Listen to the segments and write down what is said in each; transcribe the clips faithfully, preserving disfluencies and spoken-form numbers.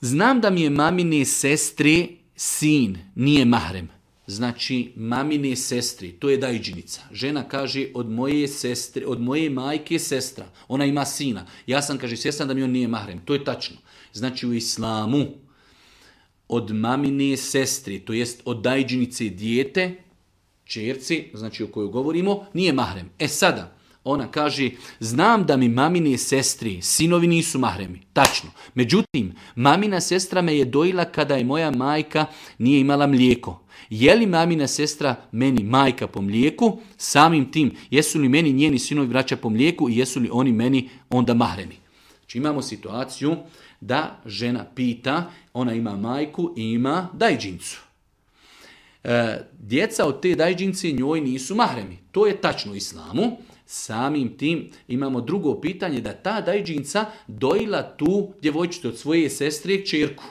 Znam da mi je mamine sestre sin, nije mahrem. Znači, mamine sestri, to je dajđinica. Žena kaže, od moje sestre, od moje majke sestra, ona ima sina. Ja sam, kaže, svjestan da mi on nije mahrem. To je tačno. Znači, u islamu, od mamine sestri, to jest od dajđinice dijete, čerci, znači o kojoj govorimo, nije mahrem. E sada, ona kaže, znam da mi mamine sestri, sinovi nisu mahremi. Tačno. Međutim, mamina sestra me je dojila kada je moja majka nije imala mlijeko. Je li mamina sestra meni majka po mlijeku? Samim tim, jesu li meni njeni sinovi braća po mlijeku i jesu li oni meni onda mahremi? Znači imamo situaciju da žena pita, ona ima majku i ima dajđincu. E, djeca od te dajđince njoj nisu mahremi. To je tačno u islamu. Samim tim imamo drugo pitanje da ta dajđinca dojila tu djevojčicu od svoje sestre kćerku.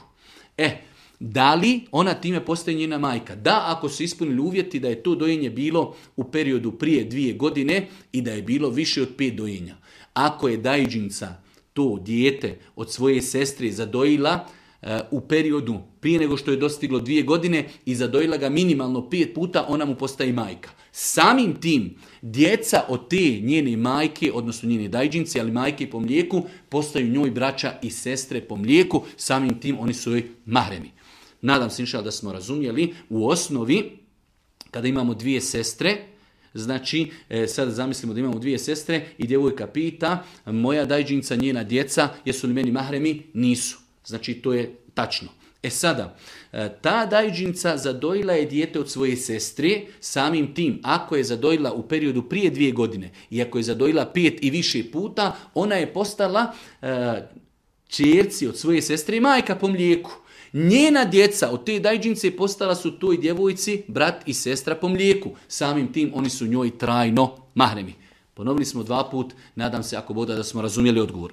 E, da li ona time postaje njena majka? Da, ako su ispunili uvjeti da je to dojenje bilo u periodu prije dvije godine i da je bilo više od pet dojenja. Ako je dajđinca to dijete od svoje sestre zadojila uh, u periodu prije nego što je dostiglo dvije godine i zadojila ga minimalno pet puta, ona mu postaje majka. Samim tim, djeca od te njene majke, odnosno njene dajđince, ali majke po mlijeku, postaju njoj braća i sestre po mlijeku, samim tim oni su joj mahremi. Nadam se inšal da smo razumjeli, u osnovi, kada imamo dvije sestre, znači, e, sad zamislimo da imamo dvije sestre i djevojka pita, moja dajđinca, njena djeca, jesu li meni mahremi? Nisu. Znači, to je tačno. E sada, ta dajđinca zadojila je dijete od svoje sestre, samim tim, ako je zadojila u periodu prije dvije godine i ako je zadojila pet i više puta, ona je postala uh, čerci od svoje sestre i majka po mlijeku. Njena djeca od te dajđince postala su toj djevojci brat i sestra po mlijeku. Samim tim oni su njoj trajno mahremi. Ponovili smo dva put, nadam se ako boda da smo razumjeli odgovor.